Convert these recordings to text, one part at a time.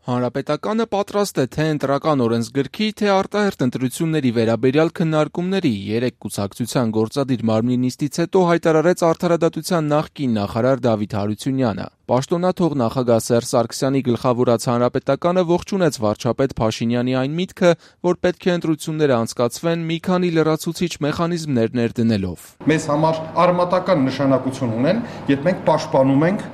Հանրապետականը պատրաստ է թե ընտրական օրենսգրքի, թե արտահերթ ընտրությունների վերաբերյալ քննարկումների, 3 կուսակցության գործադիր մարմնի նիստից հետո հայտարարեց Արդարադատության նախկին նախարար Դավիթ Հարությունյանը։ Պաշտոնաթող նախագահ Սերժ Սարգսյանի գլխավորած Հանրապետականը ողջունեց վարչապետ Փաշինյանի այն միտքը, որ պետք է ընտրությունները անցկացվեն մի քանի լրացուցիչ մեխանիզմներ ներդնելով։ Մեզ համար արմատական նշանակություն ունեն, երբ մենք պաշտպանում ենք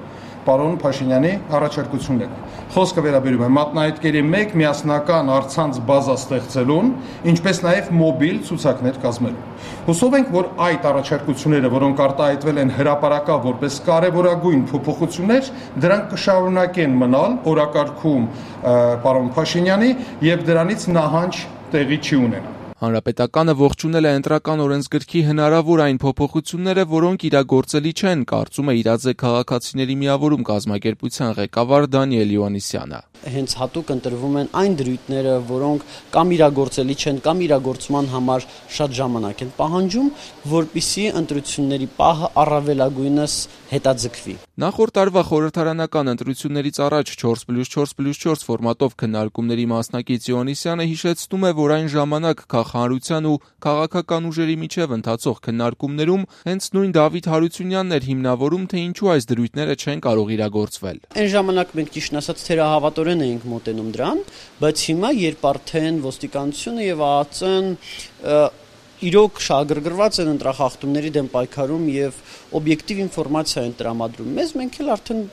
պարոն Փաշինյանի առաջարկությունները։ Խոսքը վերաբերում է մատնահետքերի մեկ միասնական առցանց բազա ստեղծելուն, ինչպես նաև մոբիլ ցուցակներ կազմելուն։ Հուսով ենք, որ այդ առաջարկությունները, որոնք արտահայտվել են հրապարակավ որպես կարևորագույն փոփոխություններ, դրանք կշարունակեն մնալ օրակարգում պարոն Փաշինյանի եւ դրանից նահանջ տեղի չի ունենա։ Հանրապետականը ողջունել է ընտրական օրենսգրքի հնարավոր այն փոփոխությունները, որոնք իրագործելի չեն, կարծում է Իրաձե քաղաքացիների միավորում կազմակերպության ղեկավար Դանիել Յովհաննիսյանը։ Հենց հատուկ ընտրվում են այն դրույթները, որոնք կամ իրագործելի չեն, կամ իրագործման համար շատ ժամանակ են պահանջում, որպիսի ընտրությունների պահը առավելագույնս հետաձգվի։ Նախորդ տարվա խորհրդարանական ընտրություններից առաջ 4+4+4 ֆորմատով քննարկումների մասնակից Յովհաննիսյանը հիշեցնում է, որ այն ժամանակ քաղաքականության ու քաղաքական ուժերի միջև ընթացող քննարկումներում հենց նույն Դավիթ Հարությունյանն էր հիմնավորում, թե ինչու այս դրույթները չեն կարող իրագործվել։ Այն ժամանակ մենք ճիշտ ասած թերահավատորեն էինք մոտենում դրան, բայց հիմա երբ արդեն ոստիկանությունը եւ ԱԱԾ-ն իրոք շահագրգռված են ընտրախախտումների դեմ պայքարում եւ օբյեկտիվ ինֆորմացիա են տրամադրում մեզ, մենք էլ արդեն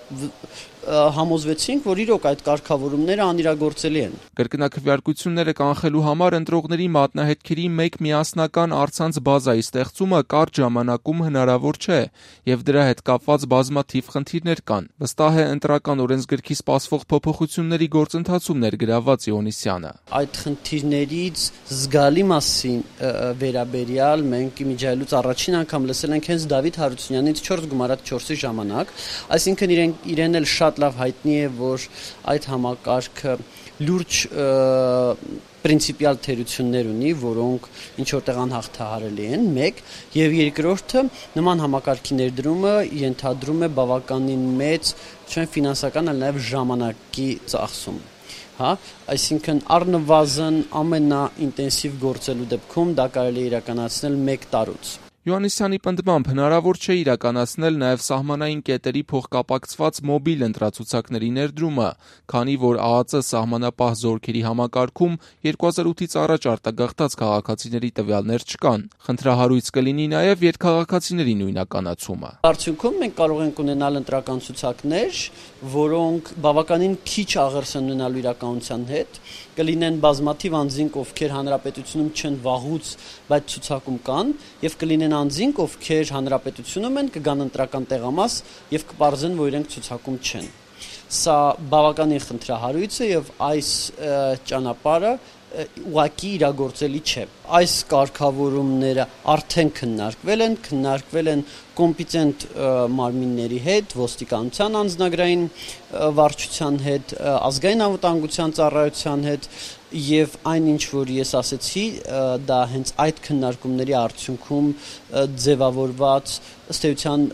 համոզվեցինք, որ իրոք այդ կարգավորումները անիրագործելի են։ Կրկնակվյարկությունները կանխելու համար ընտրողների մատնահետքերի մեկ միասնական առցանց բազայի ստեղծումը կարճ ժամանակում հնարավոր չէ եւ դրա հետ կապված բազմաթիվ խնդիրներ կան, վստահ է ընտրական օրենսգրքի սպասվող փոփոխությունների գործընթացում ներգրավված Յովհաննիսյանը։ Այդ խնդիրներից զգալի մասին վերաբերյալ մենք իմիջայլուց առաջին անգամ լսել ենք հենց Դավիթ Հարությունյանից 4 գումարած 4-ի ժամանակ, այսինքն իրեն էլ շատ լավ հայտնի է, որ այդ համակարգը լուրջ պրինցիպիալ թերություններ ունի, որոնք ինչ որտեղ անհաղթահարելի են, մեկ, եւ երկրորդը նման համակարգի ներդրումը ենթադրում է բավականին մեծ, ոչ միայն ֆինանսական, այլ նաեւ ժամանակի ծախսում։ Այսինքն առնվազն ամենաինտենսիվ գործելու դեպքում դա կարելի է իրականացնել 1 տարուց։ Յովհաննիսյանի պնդմամբ հնարավոր չէ իրականացնել նաև սահմանային կետերի փոխկապակցված մոբիլ ընտրացուցակների ներդրումը, քանի որ ԱԱԾ սահմանապահ զորքերի համակարգում 2008-ից առաջ արտագաղթած քաղաքացիների տվյալներ չկան։ Խնդրահարույց կլինի նաև երկքաղաքացիների նույնականացումը։ Արդյունքում մենք կարող ենք ունենալ ընտրական ցուցակներ, որոնք բավականին քիչ աղերս են ունենալու իրականության հետ, կլինեն բազմաթիվ անձինք, ովքեր հանրապետությունում չեն վաղուց, բայց ցուցակում կան, եւ կլինեն անձինք, ովքեր հանրապետությունում են, կգան ընտրական տեղամաս եւ կպարզեն, որ իրենք ցուցակում չեն։ Սա բավականին խնդրահարույց է եւ այս ճանապարհը ուղղակի իրագործելի չէ։ Այս կարգավորումները արդեն քննարկվել են կոմպետենտ մարմինների հետ, ոստիկանության անձնագրային վարչության հետ, ազգային անվտանգության ծառայության հետ եւ այն ինչ որ ես ասեցի, դա հենց այդ քննարկումների արդյունքում ձևավորված ըստ էության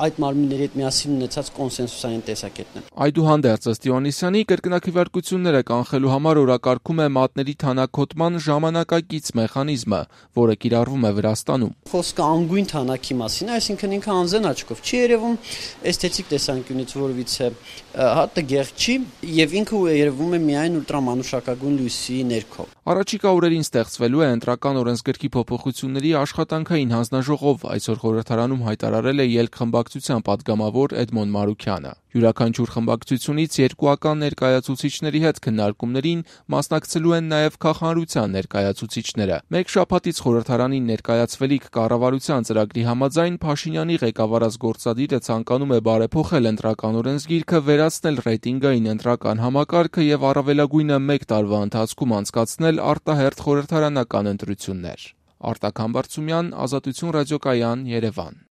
այդ մարմինների հետ միասին ունեցած կոնսենսուսային տեսակետն է։ Այդուհանդերձ ըստ Յովհաննիսյանի կրկնակվյարկությունները կանխելու համար օրակարգում է մատների թանաքոտման ժամանակակից մեխանիզմը, որը կիրառվում է Վրաստանում։ Խոսքը անգույն թանակի մասին է, այսինքն ինքը անզեն աչքով չի երևում, էսթետիկ տեսանկյունից որևիցե տգեղ չի եւ ինքը երևում է միայն ուլտրամանուշակագույն լույսի ներքո։ Առաջիկա օրերին ստեղծվելու է ընտրական օրենսգրքի փոփոխությունների աշխատանքային հանձնաժողով, այսօր խորհրդարանում հայտարարել է ելք խմբակցության падգամավոր Էդմոն Մարուքյանը։ Յուրաքանչյուր խմբակցությունից երկուական ներկայացուցիչների հետ քննարկումներին մասնակցելու են նաև քաղաքականության ներկայացուցիչները։ Մեկ շաբաթից խորհրդարանին ներկայացվելիք կառավարության ծրագրի համաձայն Փաշինյանի ղեկավարած գործադիրը ցանկանում է բարեփոխել ընտրական օրենսգիրքը, վերացնել ռեյտինգային ընտրական համակարգը եւ առավելագույնը 1 տարվա ընթացքում անցկացնել արտահերթ խորհրդարանական ընտրություններ։ Արտակ Համբարձումյան, Ազատություն ռադիոկայան, Երևան։